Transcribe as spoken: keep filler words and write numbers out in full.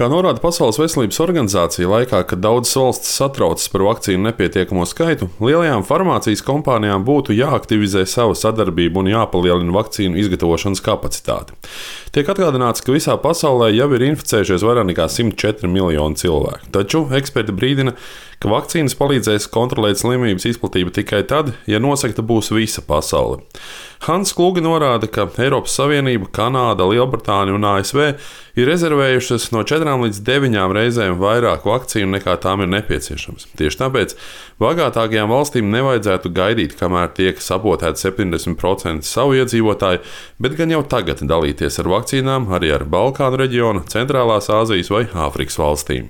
Kā norāda Pasaules veselības organizācija, laikā, kad daudzas valstis satraucas par vakcīnu nepietiekamo skaitu, lielajām farmācijas kompānijām būtu jāaktivizē sava sadarbība un jāpalielina vakcīnu izgatavošanas kapacitāte. Tiek atgādināts, ka visā pasaulē jau ir inficējušies vairāk nekā simt četri miljoni cilvēku. Taču eksperti brīdina, ka vakcīnas palīdzēs kontrolēt slimības izplatību tikai tad, ja nosegta būs visa pasaule. Hans Kluge norāda, ka Eiropas Savienība, Kanāda, Lielbritānija un A S V ir rezervējušas no četrām līdz deviņām reizēm vairāk vakcīnu nekā tām ir nepieciešams. Tieši tāpēc bagātākajām valstīm nevajadzētu gaidīt, kamēr tiek sabotēti septiņdesmit procenti savu iedzīvotāju, bet gan jau tagad dalīties ar vakcīnām arī ar Balkānu reģionu, Centrālās Āzijas vai Āfrikas valstīm.